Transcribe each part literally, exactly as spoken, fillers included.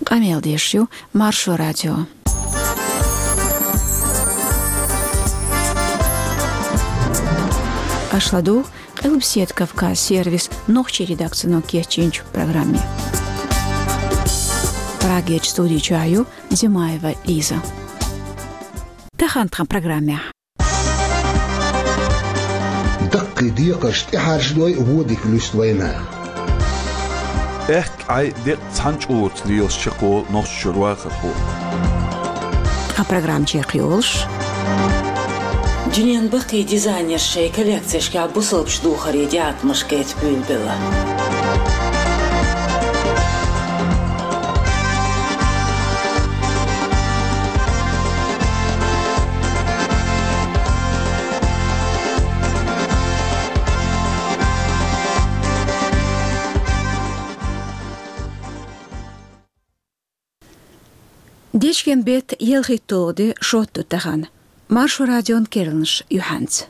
Къамел деш ю Маршо радио. Аша ладугӀу Къилбаседа Кавказ сервисан нохчийн редакцино кечйинчу программе. Прагерчу студи чохь ю Димаева Лиза. Тахана тхан программехь. Даккхий декхарш тӀехьаьржадой, вон дика луьсту вайнаха. Аьхка Ӏай декъа цхьана чкъурца лелаш чекхволу Нохчийчуьра вахархо. Тхан программа чекхйолуш. Дуьненан баккхий дизайнерша шайн коллекцешкахь бусалбачу духарийн тӀеӀаткъамаш кхета буьйлабелла. Дечкен беттан ялхитталгӀа де шот ду тахана. Маршо радион керланаш юьхьанца.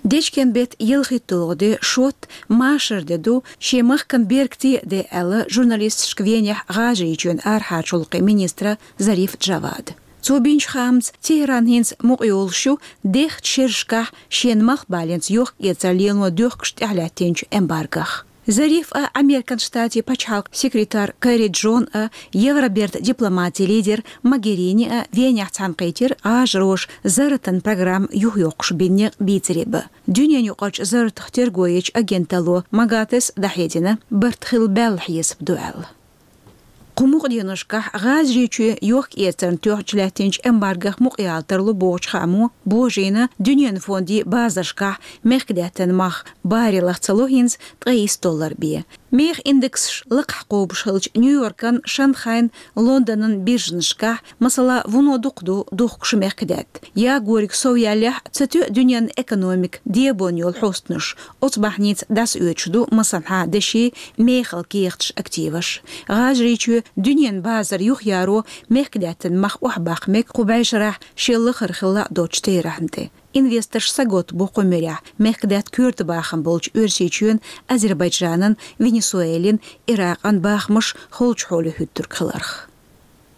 Дечкен беттан ялхитталгӀа де шот машар де ду, шен махкана беркате а де аьлла, журналисташка Венехь ГӀажарийчоьнан арахьарчу гӀуллакхийн министра Зариф Джавада. Цо бинчу хаамца, Тегеран хӀинца мукъайолуш ю дехачу шерашкахь шена малхбаленца йохк-эцар лело доьхкуш тӀехьалаьттинчу эмбаргох. Зариф а, Американ Штатийн пачхьалкхан секретарь Керри Джон а, Евробертан дипломатийн лидер Могерини а Венехь цхьаьнакхийтира гӀажароша зарратан программа юхайоккхуш бина некъ бийцаре бан. Дуьненаюкъарчу зарратах терго ечу агенталло МАГАТЭ-с дӀахьедина, барт хила баьлла хьесап ду аьлла. Кху мукъа деношкахь ГӀажарийчоь йохк-эцарна тоьхча лаьттинчу эмбаргох мукъаяла тарло бохучу хаамо божийна, дуьненан фондийн базаршкахь мехкадаьттан мах баре лахцало хӀинца ткъе исс доллар бен. Механ индексаш лакхахь кхобуш хилча, Нью-Йоркан, Шанхайн, Лондонан биржанашкахь, масала, вуно дукха ду духкуш мехкадаьтта. Ягориг совъяьллехь, ца тоьа дуьненан экономика дебон йолу хьостанаш. Оцу бахьаница дӀасаоьцуш ду масанхьа деши, мехала кехаташ, активаш. ГӀажарийчоь дуьненан базар юхаяро мехкадаьттан мах охьабаккха мега кху бӀешарахь шел лахара хилла а доцучу терахьна тӀе. Инвесторш саготта бу кху муьрехь мехкадаьтта коьрта бахам болчу Оьрсийчоьнан, Азербайджанан, Венесуэлин, Иракъан бахамаш холчу хьоле хӀуьттург хиларх.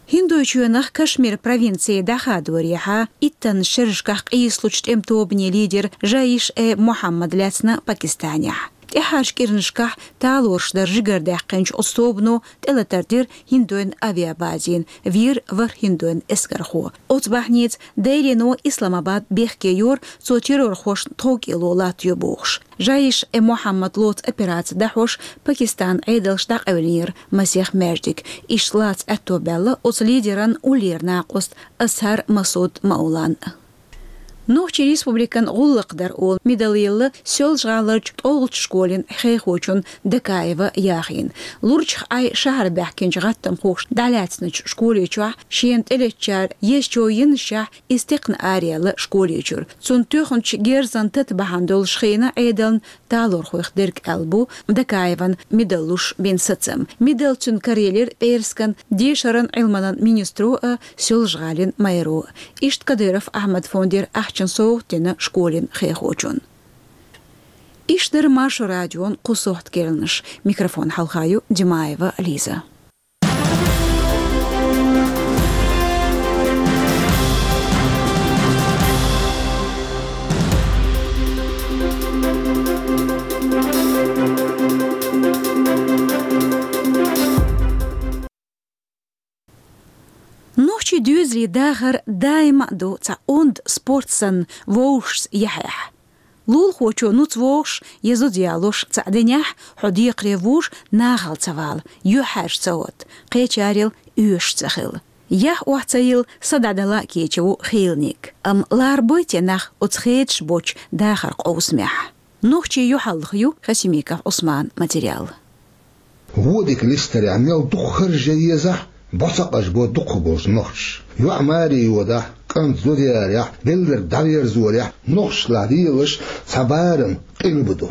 ХӀиндойчоьнах Кашмир провинци дӀахадорехьа, иттаннаш шерашкахь къийсалучу тӀеман тобанийн лидер Жаиш-э-Мухьаммад лаьцна Пакистанехь. ТӀаьхьарчу кӀиранашкахь талораш дар жигардаьккхинчу оцу тобано тӀелатар дира ХӀиндойн авиабазина, вийра ворхӀ ХӀиндойн эскархо. Оцу бахьаница Делино Исламабад бехке йора, цо террорхошна тховкӀело латтайо бохуш. Жаиш-э-Мухьаммад лоцу операци дӀахьош Пакистанан Ӏедалша дӀакъевлинера масех маьждиг. Иштта лаца аьтто баьлла оцу лидеран уллера накъост Азхьар Масуд Маулан. Нохчийн республикан гӀуллакх дар олу медаль елла Соьлжа-ГӀаларчу ткъолгӀачу школин хехочунна Дакаева Яхина. Лурчах Ӏай шахьар баьхкинчу гӀаттамхоша дӀалаьцначу школе чохь шена тӀелеттачара езачо йинашехь, иза текхна араяьлла школе чуьра. Цунна тоьхначу герзан тата бахьана долуш хиъна Ӏедална талорхойх дерг аьлла бу Дакаеван медаль луш бина сацам. Медаль цуьнан караелира пӀераскан, дешаран, Ӏилманан министро а, Соьлжа-ГӀалин мэро а. Иштта Кадыров Ахьмада фондера ахчан совгӀат дина школин хехочунна. Иштта дара Маршо радион кху сохьта керланаш. Микрофон хьалха ю Димаева Лиза. Нохчийн доьзалийн дахар даима а ду цхьа онда спорт санна вовшашца яхьехь. Лулахочо нуц вогӀуш я зуда ялош цхьаъ динехь, хьо декхаре вуш нахала ца вала, юьхьӀаьржа ца гӀотта, кхечарел оьшуш ца хила. Яхь охьа ца йилла, са дӀадала а кечам бу хийланиг. Амма ларбой те нах оцу хедаш боцчу дахаран къовсамехь? Нохчийн юьхьарлаха ю Хасимиков Ӏусманан материал. Вон дика листарехь мел дукха харжа езахь, бо ца къажбо дукхах болчу нохчаша. ЙоӀ маре йодахь, кӀант зуда ярехь, белларг дӀаверзорехь, нохчашлахь лелаш цхьа барам къилба ду.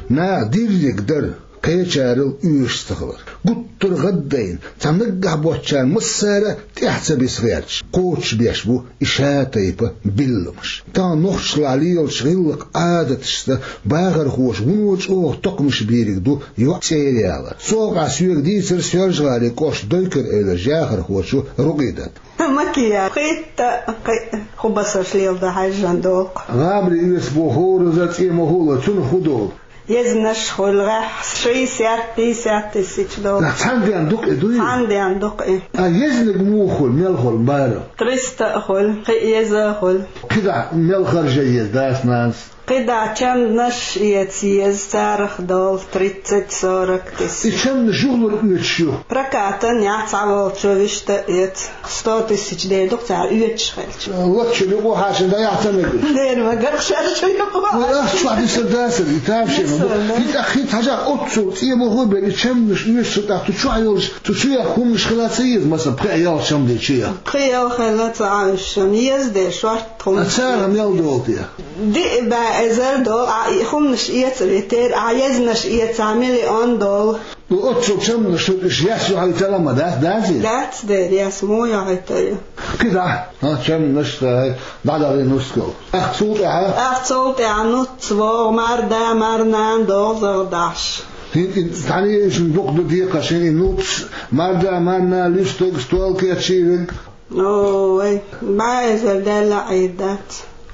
Наха дирриг дара, Кхечарел оьшуш ца хилар. Гуттар а гӀаддайна, цхьа наггахь боцчарна массара а тӀаьхьа ца биса гӀерташ, кхочушбеш бу и шатайпа билламаш. Тахан нохчашлахь лелачу гӀиллакх-Ӏадаташца бахархоша вуно чӀогӀа токхамаш бийриг ду йоӀ цӀера ялар. Цу хьокъехь соьга дийцира Соьлжа-ГӀалин кӀоштан Дойкар-Эвлара яхархочо Рукъидата. Макияж. Пхийтта а, кхин а хӀун басарш леладо хьаьжжина долу-кх. ГӀамаре оьцу боху хӀораза цӀе ма хуьлу, цунах хӀун долу? Езнаш хуьлу, гӀеххьа шестьдесят, пятьдесят тысяч долу. Нах цхьана денна ду-кх и, дуй? Цхьана денна ду-кх и. А езнарг муха хуьлу, мел хуьлу бара? Триста а хуьлу, кхин а еза а хуьлу. КхидӀа мел харжа еза дас-нанас? КхидӀа чамданаш эца еза, царах долу тридцать-сорок тысяч. И чамданаш юхалург оьцуш ю? Прокатан яц, цхьаволчо вуьшта а эца. Сто тысяч дер ду-кх цара оьцуш хилча. Лоцчуьра юкъа хьаьшна дӀаяхьа ца мегаш. Дера ма гарх шаьш ю юкъа. Вай ахча чохь дисар дацара, и тамашийна. Дисар, да. ХӀинца, хӀинца хьажахь, оццул цӀе ма хуьлу бен, и чамданаш оьцуш ю тӀаккха, цу чохь йолуш, цу чу яхка хӀуманаш хила ца еза, масала, пхи-ялх чамдан чу яхка. Пхи-ялх хила ца Ӏа уьш, еза деш шорта хӀуманаш. А царах мел долу те? Диъ бӀе эзар долу, Ӏа и хӀуманаш эца витера, Ӏа езнаш эца, Ӏа миллион долу. Ну, оццул чамданаш ду, уьш яс ю хьан тала ма дац, дац и? Дац дера, яс муха йохуьйту? КхидӀа, хӀан, чамданаш дай, дӀадахьа нускал. Ахь цул тӀаьхьа? Ахь цул тӀаьхьа нуц вогӀу, марда, марнана догӀу, загӀа дахьаш. ХӀинца и цхьаьна ешна дукха ду декхар шен, и нуц, марда, марна, луьстаг, стол кечйийриг. Ой, бӀе эзар даьлла Ӏийр дац.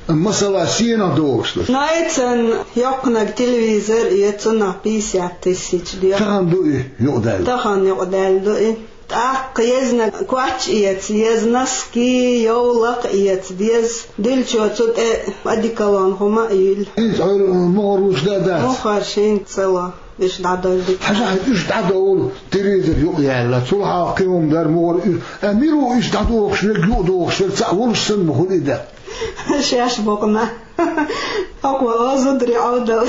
Масала, сенах догӀуш ду? Найцан йоккханаг телевизор, и цунах пятьдесят тысяч де. Тахана ду и юкъадаьлла? Тахана юкъадаьлла ду и. ТӀаккха езнаг коч эца еза, носки, йовлакх эца деза, дуьллучо цу тӀе одеколон хӀума а йуьллу. ХӀинца хьуьра мухӀар луш дан дац? МухӀар шина ца ло. Уьш дӀадойла дика. Хьажахь, уьш дӀадовла, телевизор юкъаяьлла. Цул хьалха кхин хӀума дара, мухӀар уьш. Э, мила ву уьш дӀадохуш верг, юкъадохуш верг, цхьаъ волуш санна ма хуьлу и дакъа. Шаьш боккхуш. Хьо кхо а зударий Ӏовдал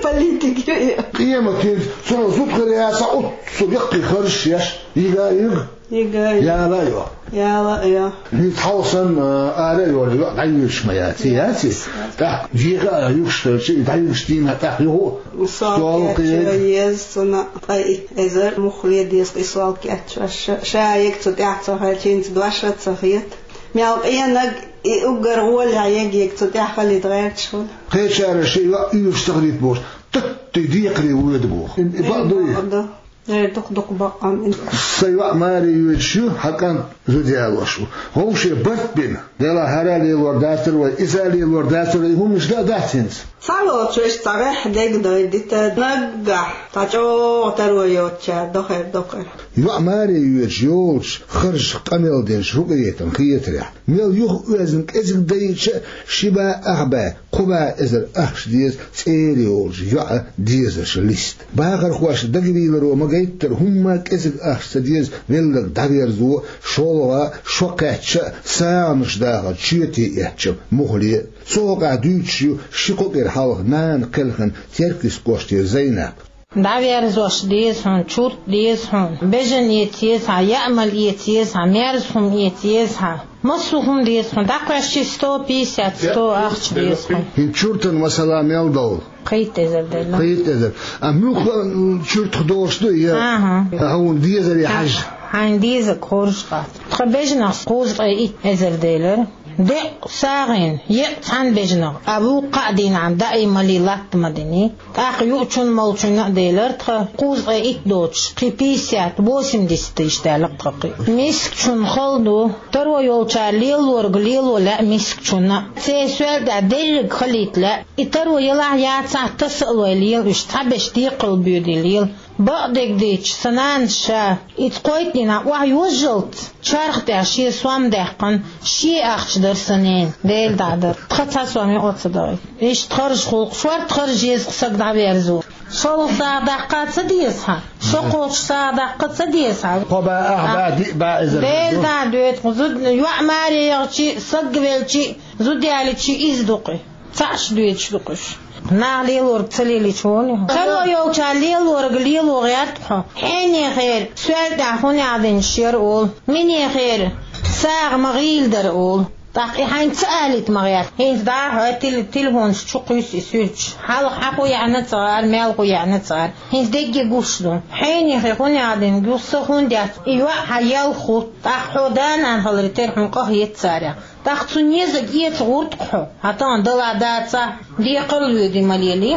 политик ю и. Къематдийнахь цунах зуда хир яц, оццул яккхий харжаш еш, йига а йига. Йига а йига. Яла а йо. Яла а йо. ХӀинца хьалха санна, а, ара а йолу йоӀ дӀаюьгуш ма яц, яц и? ТӀаккха йига а юьгуш хилча, и дӀаюьгуш дийнахь тӀаккха юха стол кхиъ еза цунна, ткъа и эзар муха ле деза и стол кечъеш. Ша, ша йига цу тӀехь ца хилча, хӀинца дош а ца хета. Мел къенаг и уггар гӀолехь йига, йига цу тӀехь хилийта гӀерташ хуьлу. Кхечара шен йоӀ уьйраш ца хилийта бохуш, таттий декхаре воьду боху. И бакъ ду и? Бакъ ду. Э, дукха-дукха бакъ ам и. Сан йоӀ маре йоьдуш ю, хьан кӀант зуда ялош ву. Вовше барт бина, делахь хӀара а лелор дацара вай, иза а лелор дацара вай, и хӀуманаш дан а дац хӀинца. Цхьаволчу вешан цхьа гӀеххьа дегнойдита, наггахь цхьа чӀогӀа таро йоцучара до хир ду-кх и. ЙоӀ маре йоьдуш йолчу харжах къамел динчу Рукъиятан хетарехь, мел юха оьзна кӀезиг дайча а, ши бӀе ах бӀе, кхо бӀе эзар ахча деза цӀера йолчу йоӀан дезаршан лист. Бахархошна дагавийларо ма гайттара, хӀумма а кӀезиг ахча ца деза велларг дӀаверзо, шолгӀа, шо кхаьчча а, сагӀанаш дахар чоьте эцча муххале а. Цу хьокъехь дуьйцуш ю ши-кхо кӀира хьалха нана кхелхина Теркйист кӀоштера Зайнап. ДӀаверзош деза хьуна, чурт деза хьуна, бежан эца еза хьан, яа мала эца еза хьан, мерза хӀума эца еза хьан. Массо а хӀума деза хьуна, дӀакхаьчча сто пятьдесят, сто ахча деза хьуна. ХӀинца чуртан масала мел довла? Пхийтта эзар делла. Пхийтта эзар. А муьлхха, м, чуртах долуш ду, я? Ага. Хьуна дезаре хьажа. Хьайна дезарг хоржуш дац. Тхан бежанах кхузткъе итт эзар делира. Декъ сагӀина, екъ цхьана бежанах, а вукху кхаа дийнахь даималлий латта ма дини. ТӀаккха юучунна-молчунна а делира тхан, кхузткъе итт доцуш, кхин пятьдесят, восемьдесят тысяч даьлла тхан кхин. Мискачунна хала ду, таро йолчара лелориг лело лаьа мискачунна. Церан соьл тӀехь дерриг хилийта лаьа. И таро елахь яцахь, таса а лой лела уьш, цхьаберш декхал боьдий лела. Бакъдерг дийцича, сан нанас ша, и кхойтта дийнахь охьайожжалц, чарх тӀехь шен сом даьккхина, шен ахча дара сан ненан, Дела дӀа а дара. Тхан цхьа сом юкъа ца дахийта. Иштта харжа хуьлу-кх, шорта харжа еза-кх саг дӀаверзо. ШолгӀа сагӀа даккха ца деза хьан? Шо кхочуш сагӀа даккха ца деза хьан? Кхо бӀе, ах бӀе, диъ бӀе эзар. Дела дӀа а доьду-кх, зуда, йоӀ маре яхчи, саг велчи, зуда ялийчи иза ду-кх и. Цхьаъ шу доьдуш ду-кх уьш. Наха лелориг ца лелийча хӀунда? Таро йолчара лелориг лело гӀерта хьо. Хьенехера соьл тӀехь хӀун яхь динчу яра олу? Минехера сагӀа ма гӀийла дара олу. ТӀаккха и хьайна ца алийта ма гӀерта. ХӀинца дӀахьо тел-, телефонаш чу кхуьйсу и суьрташ. Хьалха хьан хӀун яьхьна ца гӀар, мел хӀун яьхьна ца гӀар. ХӀинца дегге гуш ду. Хьенехе хӀун яхьдина, гуш са хӀун дац. И йоӀ хьан ял ху. ТӀаккха хьо да-нана хиларе терра хьуна къахетац царех. ТӀаккха цу незаг эца гӀурт-кх хьо. Хьан тӀан дала дацахь, декхар лоьду ма лелий.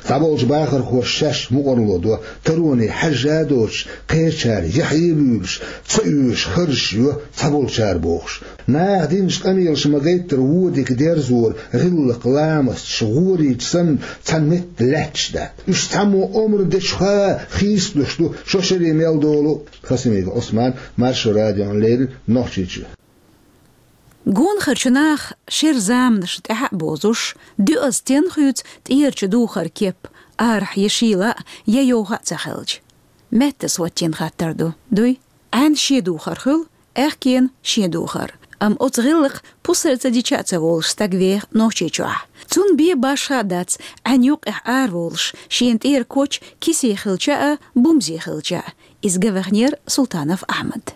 Цхьаболчу бахархоша шаьш мукъарло до, тароне хьаьжжа а доцуш, кхечара яхье а буьйлуш, ца оьшуш харжаш йо цхьаболчара бохуш. Наха динчу къамелаша ма-гайттара вон дика дерзор, гӀиллакх, ламасташ, гӀорийча санна цхьана метта лаьтташ дац. Уьш цхьаммо омра дечуха хийцалуш ду, шо шаре мел долу. Хасимиков Ӏусман, Маршо радиона леррина, Нохчийчоь. Гонахарчу наха шеран заманашна тӀаьхьа а бозуш, дуьззина стенна хуьйцу тӀерачу духар кеп, арахь я шийла а, я йовха а ца хилча. Меттас хӀоттийна хаттар ду, дуй? Ӏаьнан шен духар хуьлу, аьхкенан шен духар. Амма оцу гӀиллакха пусар ца дича а ца волуш стаг веха Нохчийчохь. Цунна бен башха а дац, Ӏаьнан юккъехь араволуш, шена тӀера коч кисе хилча а, бумзе хилча а. Иза ган ваханера Султанов Ахьмад.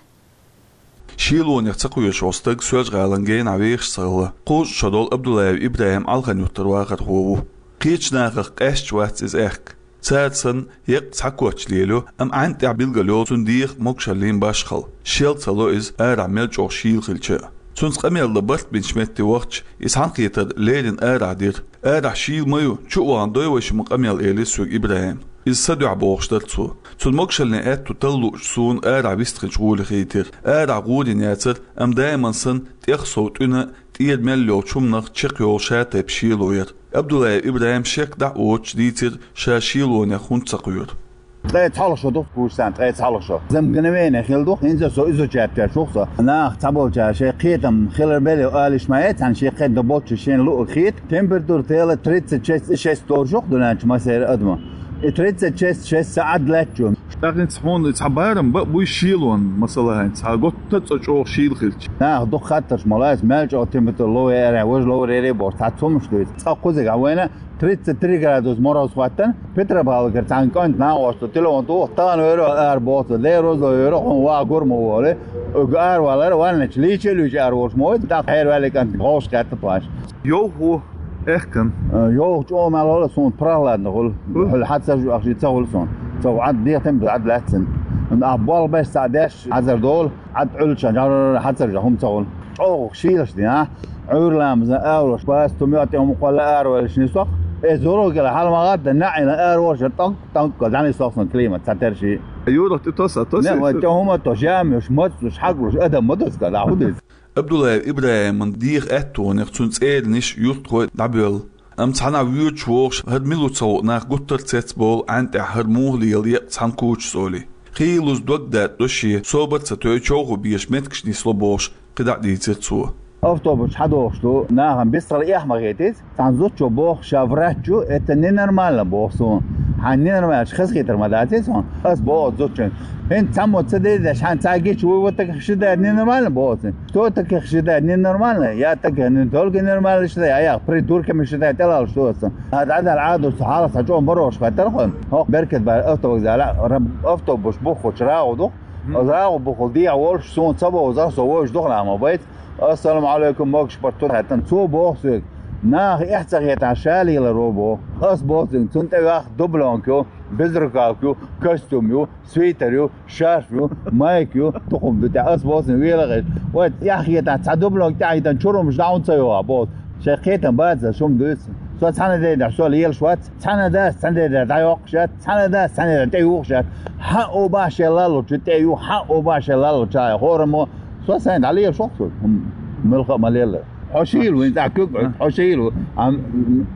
Шелонех ца кхоьруш волу стаг Соьлжа-ГӀалин генахь вехаш ца хилла, кхузткъа шо долу Абдуллаев ИбрахӀим Ӏалхан-Юьртара вахархо ву. Кхечу нахах къаьсташ вац иза аьхка. Цара санна, еккъа цхьа коч лелайо, амма Ӏаьнан тӀехь билгалйолу цуьнан дегӀан могушаллин башхалла. Шел ца ло иза, арахь мел чӀогӀа шийла хилча а. Цуьнца къамел дан барт бинчу метте вахча, иза цхьаьнакхетар леррина арахь дира. «Арахь шийла ма ю, чу а вахана дой вай шуна къамел», — элира соьга ИбрахӀима. Иза сан дуьхьа бохуш дара цо. Цуьнан могушаллин аьтту таллуучу суна арахь вистхинчу гӀоле хийтира. Арахь гӀур йина яцара, амма даиман санна тӀех сов тӀуьна, тӀера мел йолчу хӀуманах чекхйолу шатайпа шело яра. Абдуллаев ИбрахӀим шек дӀа а воцуш дийцира, ша шелонех хӀунда ца кхоьру. Ткъе цхьалха шо ду-кх, кхузткъа шо, ткъе цхьалха шо. За мгновение хилла ду-кх, хӀинца со изучать деш ву-кх со. Наха цхьаболчара шайн кхетам хилар белла олуш ма яц, цхьана шен кхетам болчу шена луъург хета. Температура тела тридцать шесть и шесть долуш ду-кх дуьнен чу массеран адаман. И тридцать шесть и шесть сан Ӏад лаьттачу. ТӀаккха хӀинца хьуна цхьа барам бан а буй шелон, масала, хӀинца цхьа готта а цӀа чӀогӀа шийла хилча. Наха дукха хаттарш ма лаьа, мел чӀогӀа температура лов яра, важа лов яра бохуш, цхьа цхьа хӀумнаш дуьйцу. Цкъа кхузиг хьан вайна, тридцать три градус мороз хӀоттана, Петропавловкара цхьана кӀанта накъосту телефон туху, тахана вер ву ара боху, Дела роза лойла вер ву, хьуна ван гур ма волу. Уьгу ара валара, ванначу лийча а луьйча ара волуш ма ву, тӀаккха хьерваьлли кӀанта гӀовш кхетта тхоьш. Йовхо, аьхкан. Э, йовха чӀогӀа мел хуьлу суна, прохладно хуьлу. Хьуьлла хьан ца жу ахчи ца хуьлу суна. Ца ву Ӏад дехтам, Ӏад лаьццина. А болх беш цхьа деш, хьазар долу, Ӏад Ӏуьллуча жар хьацар жа хӀума ца хуьлу. ЧӀогӀа шийлаш дина, Ӏуьйра ламазан алош, бац тумио тӀе хӀума кхолла араваьллаш нисох. Э, зуро гила хьала ма гӀадда, наӀина араваьллаш, тӀанк, тӀанк, дӀанисох сан климат, цхьа терши. Юрах тӀе тоса, тоса. Не, вай тӀе хӀума то, жамеш, мацлуш, хьаглуш, адам ма доска, да, хӀу деза. Абдуллаев ИбрахӀиман дегӀан аьттонех цуьнан цӀерниш, юьртахой дӀабоьлла. Амма цхьанхьа воьдуш вогӀуш, хӀара мила ву ца хуу нах гуттар а цецболу Ӏаьнан тӀехь хӀара муха лела екъа цхьана кучу цӀоле. Хийлаза дог датӀадо шен, собар а ца тойу човхо беша меттигаш нисло бохуш, кхидӀа а дийцира цо. Автобус хьадохуш ду, нахана бистхила эхь ма хетийца. Цхьана зудчо боху, ша врач ю, это ненормально боху суна. Хьан ненормально хазахетар ма дац суна. Ас боху зудчун. ХӀинца цхьаммо ца дедеш, хьан ца гича вуй, вот таких считает ненормально боху. Что таких считает ненормально? Я таких не только ненормально считаю, а я придурками считаю, тӀелалуш ду аса. А дӀадала Ӏадуш хьалха цхьа чӀогӀа барош хаттар хьуна. ХӀокху Беркат бара автовокзала, раб-, автобус буххучу рагӀу ду. Мгм. Оцу рагӀу буххул дехьа волуш, суна ца бовза, со вовзаш духна ма байт. Ассаламу алейкум, могуш барт ту хаьттан. Цо боху соьга, наха эхь ца хетахь, ша леларо боху. Ас боху цуьнга, цунна тӀе ваьхна дублёнка ю, безрукавка ю, костюм ю, свитер ю, шарф ю, майка ю, тухум ду тӀе. Ас боху цуьнга, вела гӀеш. Вай, эхь хетахь, цхьа дублёнка тӀе хьаьддан чурумаш дӀа хӀунда ца йогӀа боху. Шайн кхетам бац, шуна дуьйцу. Со цхьана дайдахь, со лелаш вац. Цхьана дас цхьана дайдахь дӀайоккхуш яц. Цхьана дас цхьана дайдахь тӀе юхуш яц. Хьан оба шен лаллучу тӀе юха, хьан оба шен лаллучу хьайн хӀораммо. Со сайн дӀалелаш ву-кх со. Муьлхха а ма лелла. Хьо шийла ву, хӀинца куьг, хьо шийла ву. Ам,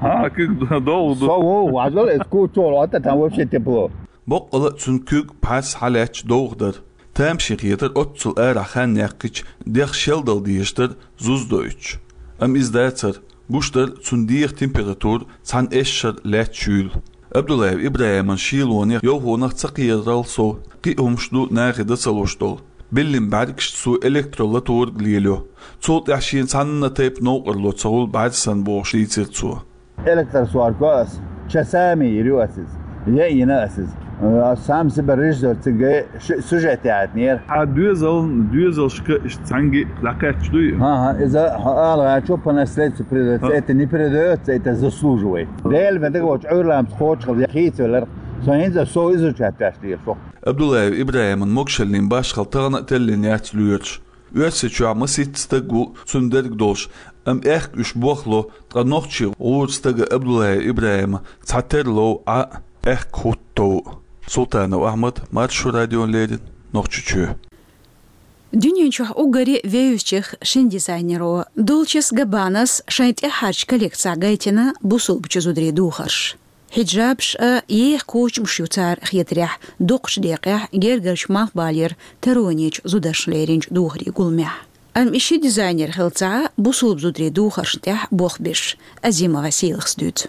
а, куьг довха ду. Со ву, важал, эс кучу чохь лотту, там вообще тепло. Боккъала а цуьнан куьг, пхьарс хьалаьтташ довха дара. Тамашийна хетара оццул арахь хан яьккхича, дегӀ шелдала дезаш дара зуз доуьйтуш. Амма иза дацара, гуш дара цуьнан дегӀан температура цхьана эшшара лаьтташ юйла. Абдуллаев ИбрахӀиман шелонех, йовхонах ца кхерарал сов, кхин а хӀумаш ду нахе дан ца луш долу. Биллина бӀаьргашца цо электролаторг лелайо. Цул тӀаьхьа шена цхьанна тайпа новкъарло ца хуьлу бӀаьрса санна бохуш дийцира цо. Электросварка ас, часами йир ю ас иза. Яйина ас иза. А сам себе режиссёр цига ши сюжет яхьнера. А доьзал, доьзалшка иштта цхьаьнгге дӀакхаьчча дуй? Ага, иза хьо ала гӀачо по наследству передается. Это не передается, это заслуживает. Дела вен дага волчу Ӏуьйрламца кхочушхила хийцавелар. Со хӀинца со изучать деш дийр фу. Абдуллаев Ибрахиман могушаллин башхал тахана а теллина яц лоьруш. Оьрсийчохь масийтта стаг ву цунна дерг долуш, амма аьхка уьш бохло, ткъа нохчий гӀура стага Абдуллаев Ибрахима цхьа тера лов Ӏа а, аьхка хӀутту тов. Султанов Ахьмад, Маршо радиона леррина, Нохчийчоь. Дуьнен чохь уггаре вевзачех шина дизайнеро Дольче Габбанас шайн тӀаьххьарчу коллекцехь гайтина бусулбачу зударийн духарш. Хьиджабаш а, еха кучамаш ю цара хетарехь, дукхачу декъехь гергарчу малхбалера таронечу зударшна леринчу духарийн гуламехь. Амма и ши дизайнер хилла ца Ӏа бусулба зударийн духаршна тӀехь болх беш, Азимова Сийлахас дуьйцу.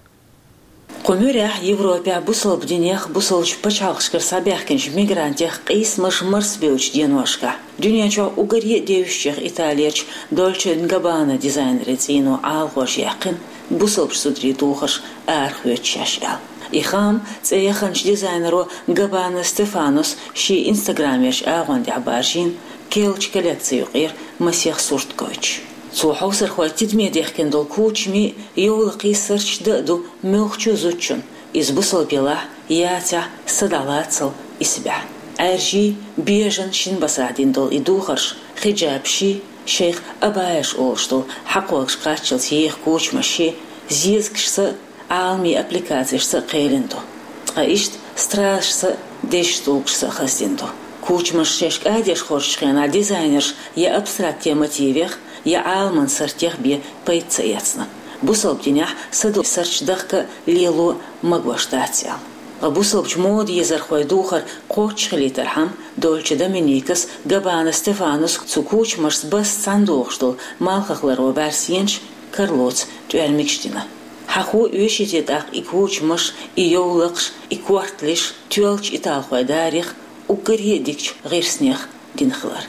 Кху муьрехь Европехь бусалба динех, бусалбачу пачхьалкхашкара схьабаьхкинчу мигрантех къийсамаш марсабевллачу деношкахь дуьнен чохь уггаре а девзачех Италерчу Дольче энд Габбана дизайнерийн цӀийно Ӏалахош яьккхина бусалбачу зударийн духарш арахоьцу шаьш аьлла. И хаам цӀе яханчу дизайнеро Габбана Стефанос шен инстаграмерчу агӀон тӀехь баржийна керлачу коллекци юкъера масех сурт гойтуш. Цо хьовсархой тидаме дехкина долу кучамий, йовлакхий сарчаш дан а ду муьлххачу а зудчунна, иза бусалба елахь, яцахь, са дӀалацал исбаьхьа. Ӏаьржий, бежан шина басахь дина долу и духарш, хиджабший, шайх абаяш олуш долу хьакхогаш кхаччалц еха кучамашший, зезагашца а, Ӏаламийн аппликацешца а кхелина ду. Ткъа иштта стразашца а, дезачу тӀулгашца а хаздина ду. Кучамаш шаьш кӀадеш хоржучу хенахь дизайнерша я абстрактен мотивех, я Ӏаламан сартех бен пайда ца эцна. Бусалба динехь са долу сарчаш дахка а, лело а магош дац аьлла. Ткъа бусалбачу мода езархойн духар кхоччуш хилийтархьама, Дольче Доминикас, Габбана Стефанос цу кучамашца басса цхьаьна догӀуш долу малхах ларо бӀаьрсенаш, карлоца тӀоьрмигаш дина. Хьахо оьший те тӀаккха и кучамаш, и йовлакхаш, и корталш тоьллачу италхойн дарих, уггаре а дикачу гӀирснех дина хилар.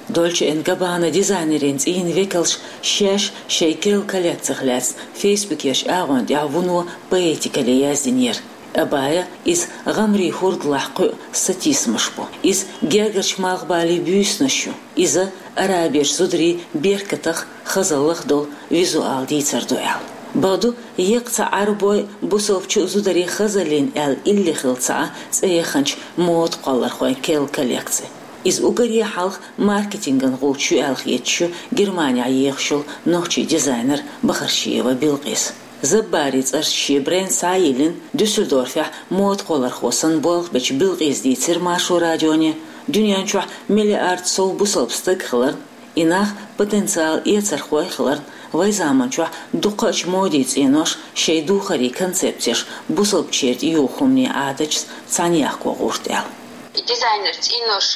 Дольче энд Габбана дизайнерийн цӀийнан векалша шаьш шайн керла коллекцих лаьцна фейсбукерчу агӀон тӀехь вуно поэтикале яздинера. Абая иза гӀамарийн хӀордалахь кхуьу сатийсамаш бу. Иза гергарчу малхбалин буьйсанаш ю. Иза араберчу зударийн беркатах, хазаллах долу визуал дийцар ду аьлла. Бакъду, еккъа цхьа Ӏарбойн, бусалбачу зударийн хазаллин аьлла илли хилла ца Ӏа цӀе яханчу мода кхоллархойн керла коллекци. Иза уггаре а хьалха маркетинган гӀулч ю аьлла хеташ ю Германехь ехаш йолу нохчийн дизайнер Бахарчиева Билкъис. Заббарийн цӀарца шен бренд схьа а йиллина, Дюссельдорфехь мода кхоллархо санна болх бечу Билкъиса дийцира Маршо радионе, дуьнен чохь миллиард сов бусалба стаг хиларна, и нах потенциалан эцархой хиларна, вайн заманчохь дукхачу модин цӀенош шайн духарийн концепцеш бусалбачеран тӀеюху хӀуманийн Ӏадаташца цхьаьна яккха гӀерта аьлла. И дизайнер цӀенош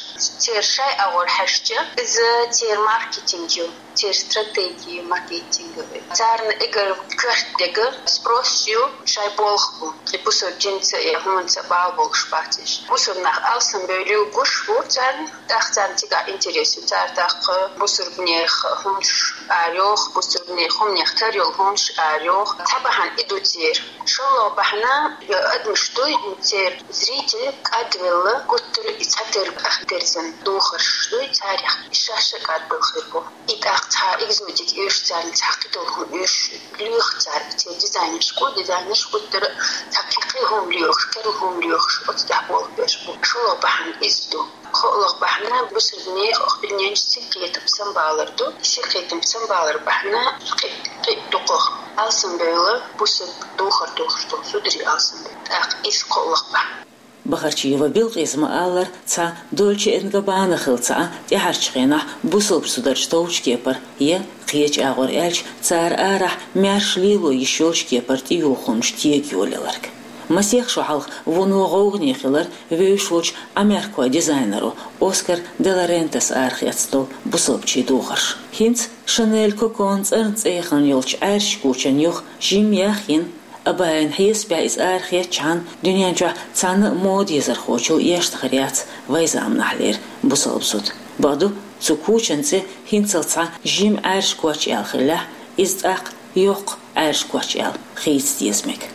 церан шайн агӀор хьаьжча, иза церан маркетинг ю, церан стратеги ю маркетинговый. Царна эггара коьрта дерг спрос ю шайн болх бу. И бусалба динца я хӀуманца бала болуш бац уьш. Бусалба нах алсамбевлла гуш бу царна, тӀаккха царна цигахь интерес ю. Цара тӀаккха бусалбанех хӀуманаш арайоху, бусалбанех хӀуманех тера йолу хӀуманаш арайоху. Цхьа бахьана и ду церан. ШолгӀа бахьана, э, адамаш дуй, церан зритель кӀадвелла, гуттара и цхьатерг ахь дерзан духарш дуй царех, и шаьш а кӀадбелла хир бу. И тӀаккха цхьа экзотика оьшу царна, цхьа кхидолу хӀума оьшу, лоьху цара, церан дизайнерш гу, дизайнерш гуттара цхьа кхин кхин хӀума лоьхуш, керла хӀума лоьхуш, оцу тӀехь болх беш бу. ШолгӀа бахьана иза ду. КхоалгӀа бахьана бусалбанех оха дуьнен чу синкхетам самабалар ду. И синкхетам самабалар бахьана кхин, кхин дукхах алсамбевлла бусалба духар тухуш долу зударий алсамбевлла. ТӀаккха иза кхоалгӀа бахьана. Бахарчиева Билкъиса ма-аллара, цхьа Дольче энд Габбана хилла ца Ӏа тӀаьхьарчу хенахь бусалба зударшна товчу кепара я, кхечу агӀор аьлча, цара арахь маьрша лело йиш йолчу кепара тӀеюху хӀуманаш тега йолаяларг. Масех шо хьалха вуно гӀовгӀане хилира вевзаш волчу Ӏамеркахойн дизайнеро Оскар де ла Рентас арахецна долу бусалбачийн духарш. ХӀинца Шанель Кокон цӀарна цӀе яхана йолчу Ӏаьржачу кучан юха жимма яхйина, Абаян хьесапехь иза арахецчахьана, дуьнен чохь цхьана а мода езархочул эшна хир яц вайн заманахьлера бусалба зуда. Бакъду, цу кучан цӀе хӀинццалц цхьа жима Ӏаьржа коч аьлла хиллехь, иза тӀаккха йоккха Ӏаьржа коч аьлла хийца деза мега.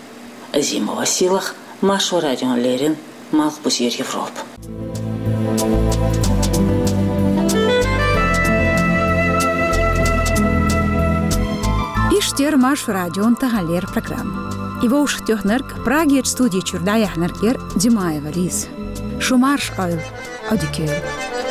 Азимова Сийлаха, Маршо радиона леррина, Малх бусиер Европа. Иштта яр Маршо радион таханлера программа. И вовшахтоьхнарг, Прагерча студи чура дӀаяьхьнарг яр Димаева Лиза. Шу марша Ӏойла, Ӏодика йойла.